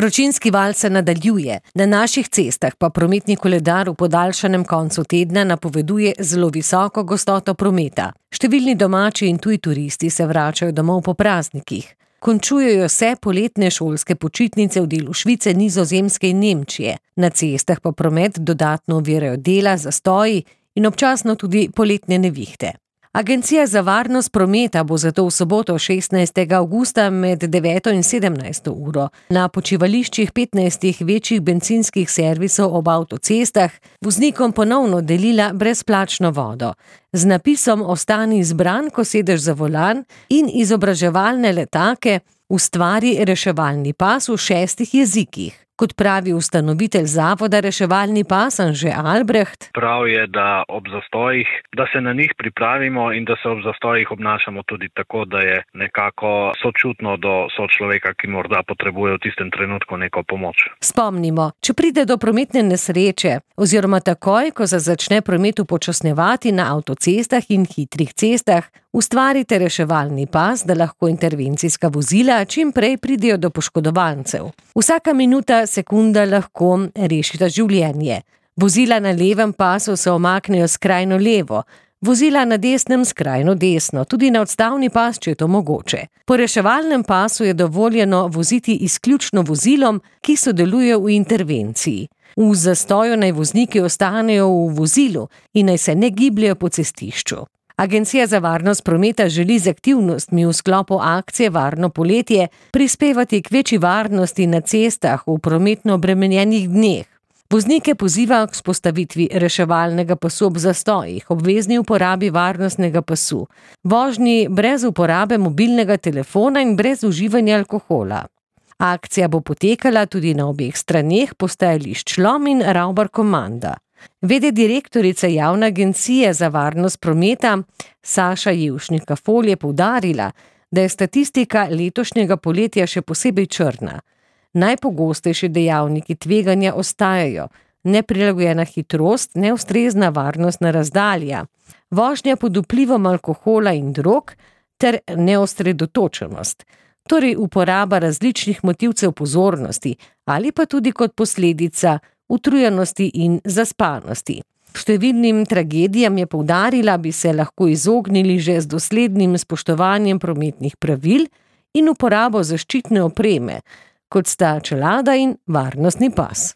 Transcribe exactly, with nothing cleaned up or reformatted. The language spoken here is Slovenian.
Vročinski val se nadaljuje, na naših cestah pa prometni koledar v podaljšanem koncu tedna napoveduje zelo visoko gostoto prometa. Številni domači in tuji turisti se vračajo domov po praznikih. Končujejo se poletne šolske počitnice v delu Švice, Nizozemske in Nemčije. Na cestah pa promet dodatno ovirajo dela, zastoji in občasno tudi poletne nevihte. Agencija za varnost prometa bo zato v soboto šestnajstega avgusta med deveto in sedemnajsto uro na počivališčih petnajstih večjih bencinskih servisov ob avtocestah voznikom ponovno delila brezplačno vodo. Z napisom "Ostani zbran, ko sedeš za volan" in izobraževalne letake "Ustvari reševalni pas v šestih jezikih". Kot pravi ustanovitelj zavoda Reševalni pas Anže Albreht. Prav je, da ob zastojih, da se na njih pripravimo in da se ob zastojih obnašamo tudi tako, da je nekako sočutno do sočloveka, ki morda potrebuje v tistem trenutku neko pomoč. Spomnimo, če pride do prometne nesreče oziroma takoj, ko se začne promet upočasnjevati na avtocestah in hitrih cestah, ustvarite reševalni pas, da lahko intervencijska vozila čim prej pridejo do poškodovancev. Vsaka minuta, sekunda lahko rešita življenje. Vozila na levem pasu se omaknejo skrajno levo, vozila na desnem skrajno desno, tudi na odstavni pas, če je to mogoče. Po reševalnem pasu je dovoljeno voziti izključno vozilom, ki sodelujejo v intervenciji. V zastoju naj vozniki ostanejo v vozilu in naj se ne gibljejo po cestišču. Agencija za varnost prometa želi z aktivnostmi v sklopu akcije Varno poletje prispevati k večji varnosti na cestah v prometno obremenjenih dneh. Voznike poziva k vzpostavitvi reševalnega pasu ob zastojih, obvezni uporabi varnostnega pasu, vožnji brez uporabe mobilnega telefona in brez uživanja alkohola. Akcija bo potekala tudi na obeh straneh postajališč Lom in Ravbar-Komanda. Vede direktorica Javne agencije za varnost prometa Saša Jevšnika-Fol je poudarila, da je statistika letošnjega poletja še posebej črna. Najpogostejši dejavniki tveganja ostajajo neprilagojena hitrost, neustrezna varnostna razdalja, vožnja pod vplivom alkohola in drog ter neosredotočenost, torej uporaba različnih motilcev pozornosti ali pa tudi kot posledica utrujenosti in zaspanosti. Številnim tragedijam je poudarila, bi se lahko izognili že z doslednim spoštovanjem prometnih pravil in uporabo zaščitne opreme, kot sta čelada in varnostni pas.